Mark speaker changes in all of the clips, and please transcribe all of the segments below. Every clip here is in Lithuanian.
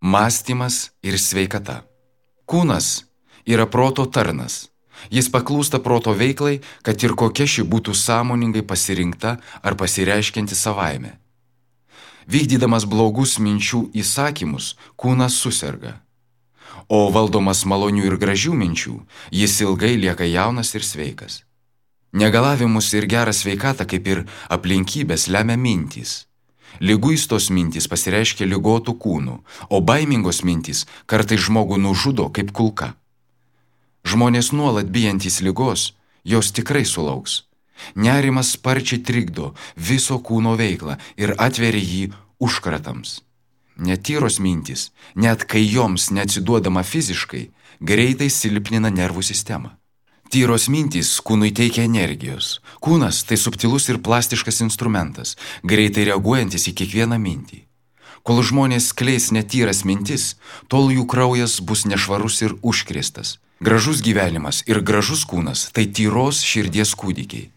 Speaker 1: Mąstymas ir sveikata. Kūnas yra proto tarnas. Jis paklūsta proto veiklai, kad ir kokia ši būtų sąmoningai pasirinkta ar pasireiškianti savaime. Vykdydamas blogus minčių įsakymus, kūnas suserga. O valdomas malonių ir gražių minčių, jis ilgai lieka jaunas ir sveikas. Negalavimus ir gerą sveikatą, kaip ir aplinkybės, lemia mintys. Liguistos mintys pasireiškia ligotų kūnų, o baimingos mintys kartais žmogų nužudo kaip kulka. Žmonės nuolat bijantys ligos, jos tikrai sulauks. Nerimas sparčiai trikdo viso kūno veiklą ir atveria jį užkratams. Netyros mintys, net kai joms neatsiduodama fiziškai, greitai silpnina nervų sistemą. Tyros mintys kūnui teikia energijos. Kūnas tai subtilus ir plastiškas instrumentas, greitai reaguojantis į kiekvieną mintį. Kol žmonės skleis netyras mintis, tol jų kraujas bus nešvarus ir užkrėstas. Gražus gyvenimas ir gražus kūnas tai tyros širdies kūdikiai.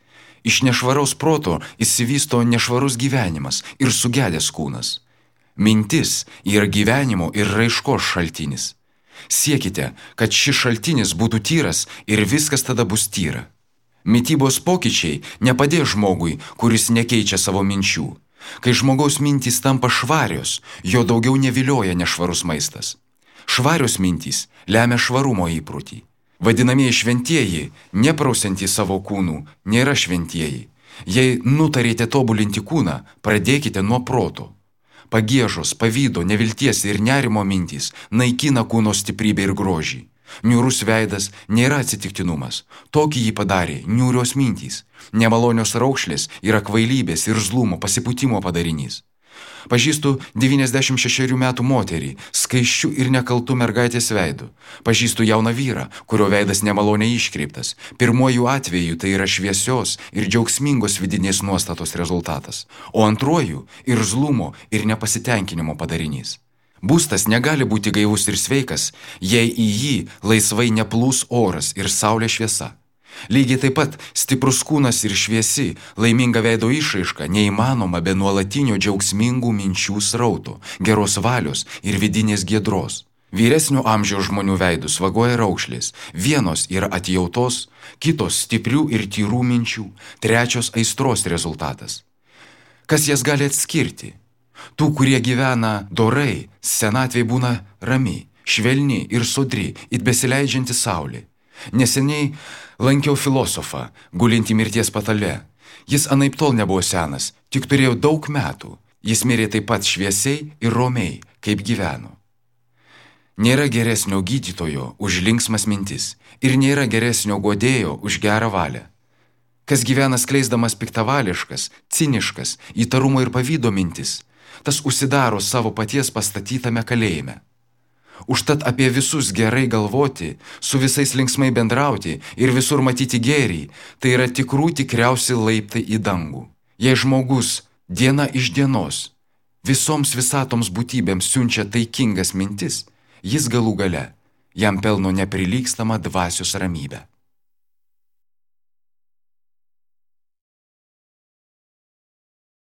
Speaker 1: Iš nešvaraus proto išsivysto nešvarus gyvenimas ir sugedęs kūnas. Mintis yra gyvenimo ir raiškos šaltinis. Siekite, kad šis šaltinis būtų tyras ir viskas tada bus tyra. Mitybos pokyčiai nepadės žmogui, kuris nekeičia savo minčių. Kai žmogaus mintys tampa švarios, jo daugiau nevilioja nešvarus maistas. Švarios mintys lemia švarumo įprotį. Vadinamieji šventieji, neprausiantys savo kūnų, nėra šventieji. Jei nutarėte tobulinti kūną, pradėkite nuo proto. Pagiežos, pavydo, nevilties ir nerimo mintys naikina kūno stiprybę ir grožį. Niūrus veidas nėra atsitiktinumas. Tokį jį padarė niūrios mintys. Nemalonios raukšlės yra kvailybės ir zlumo pasipūtimo padarinys. Pažįstu 96 metų moterį, skaisčių ir nekaltų mergaitės veidu. Pažįstu jauną vyrą, kurio veidas nemaloniai iškreiptas. Pirmuoju atveju tai yra šviesios ir džiaugsmingos vidinės nuostatos rezultatas, o antruoju ir zlumo ir nepasitenkinimo padarinys. Būstas negali būti gaivus ir sveikas, jei į jį laisvai neplūs oras ir saulės šviesa. Lygiai taip pat stiprus kūnas ir šviesi, laiminga veido išraiška neįmanoma be nuolatinio džiaugsmingų minčių srauto, geros valios ir vidinės giedros. Vyresnio amžiaus žmonių veidus vagoja raukšlės, vienos yra atjautos, kitos stiprių ir tyrų minčių, trečios aistros rezultatas. Kas jas gali atskirti? Tų, kurie gyvena dorai, senatvė būna rami, švelni ir sodri, it besileidžianti saulė. Neseniai lankiau filosofą, gulintį mirties patale. Jis anaiptol nebuvo senas, tik turėjo daug metų. Jis mirė taip pat šviesiai ir romiai, kaip gyveno. Nėra geresnio gydytojo už linksmas mintis ir nėra geresnio guodėjo už gerą valią. Kas gyvena skleisdamas piktavališkas, ciniškas, įtarumo ir pavydo mintis, tas užsidaro savo paties pastatytame kalėjime. Užtat apie visus gerai galvoti, su visais linksmai bendrauti ir visur matyti gėrį, tai yra tikriausi laiptai į dangų. Jei žmogus diena iš dienos visoms visatoms būtybėms siunčia taikingas mintis, jis galų gale jam pelno neprilygstama dvasios ramybę.